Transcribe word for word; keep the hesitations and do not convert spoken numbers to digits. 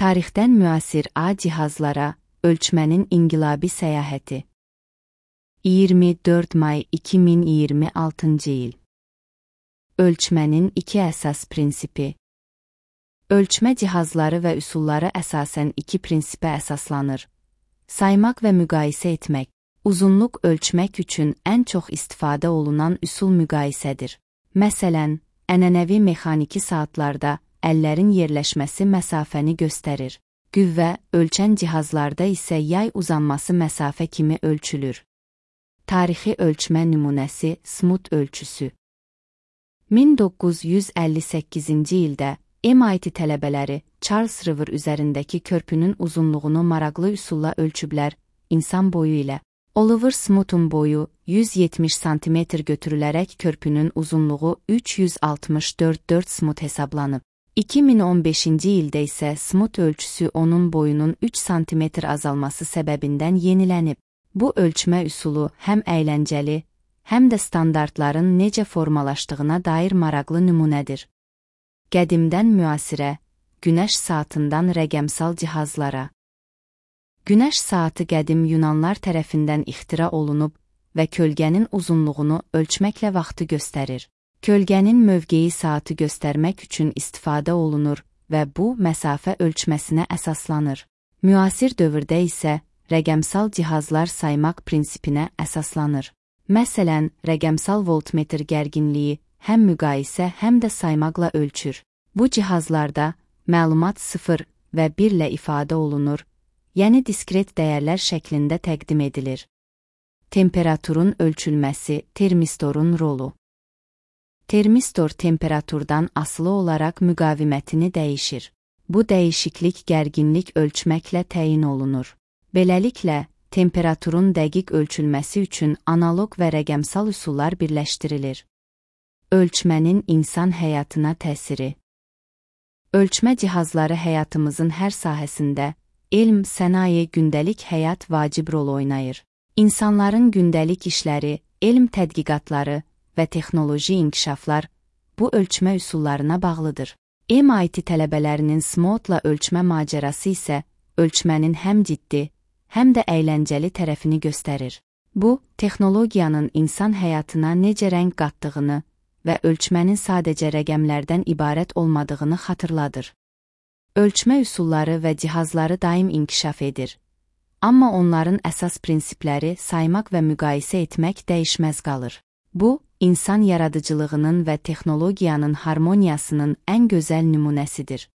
Tarixdən müasir A cihazlara ölçmənin inqilabi səyahəti. iyirmi dörd may iki min iyirmi altıncı il. Ölçmənin iki əsas prinsipi. Ölçmə cihazları və üsulları əsasən iki prinsipə əsaslanır. Saymaq və müqayisə etmək. Uzunluq ölçmək üçün ən çox istifadə olunan üsul müqayisədir. Məsələn, ənənəvi mexaniki saatlarda əllərin yerləşməsi məsafəni göstərir. Qüvvə ölçən cihazlarda isə yay uzanması məsafə kimi ölçülür. Tarixi ölçmə nümunəsi Smoot ölçüsü. min doqquz yüz əlli səkkizinci ildə M I T tələbələri Charles River üzərindəki körpünün uzunluğunu maraqlı üsulla ölçüblər, insan boyu ilə. Oliver Smoot'un boyu yüz yetmiş santimetr götürülərək körpünün uzunluğu üç yüz altmış dörd nöqtə dörd Smoot hesablanıb. iki min on beşinci ildə isə Smoot ölçüsü onun boyunun üç santimetr azalması səbəbindən yenilənib. Bu ölçmə üsulu həm əyləncəli, həm də standartların necə formalaşdığına dair maraqlı nümunədir. Qədimdən müasirə, günəş saatından rəqəmsal cihazlara. Günəş saatı qədim Yunanlar tərəfindən ixtira olunub və kölgənin uzunluğunu ölçməklə vaxtı göstərir. Kölgənin mövqeyi saatı göstərmək üçün istifadə olunur və bu məsafə ölçməsinə əsaslanır. Müasir dövrdə isə rəqəmsal cihazlar saymaq prinsipinə əsaslanır. Məsələn, rəqəmsal voltmetr gərginliyi həm müqayisə, həm də saymaqla ölçür. Bu cihazlarda məlumat sıfır və bir ilə ifadə olunur, yəni diskret dəyərlər şəklində təqdim edilir. Temperaturun ölçülməsi, termistorun rolu. Termistor temperaturdan asılı olaraq müqavimətini dəyişir. Bu dəyişiklik gərginlik ölçməklə təyin olunur. Beləliklə, temperaturun dəqiq ölçülməsi üçün analoq və rəqəmsal üsullar birləşdirilir. Ölçmənin insan həyatına təsiri. Ölçmə cihazları həyatımızın hər sahəsində, elm, sənaye, gündəlik həyat vacib rol oynayır. İnsanların gündəlik işləri, elm tədqiqatları və texnoloji inkişaflar bu ölçmə üsullarına bağlıdır. M I T tələbələrinin Smoot'la ölçmə macərası isə ölçmənin həm ciddi, həm də əyləncəli tərəfini göstərir. Bu, texnologiyanın insan həyatına necə rəng qatdığını və ölçmənin sadəcə rəqəmlərdən ibarət olmadığını xatırladır. Ölçmə üsulları və cihazları daim inkişaf edir. Amma onların əsas prinsipləri saymaq və müqayisə etmək dəyişməz qalır. Bu, insan yaradıcılığının və texnologiyanın harmoniyasının ən gözəl nümunəsidir.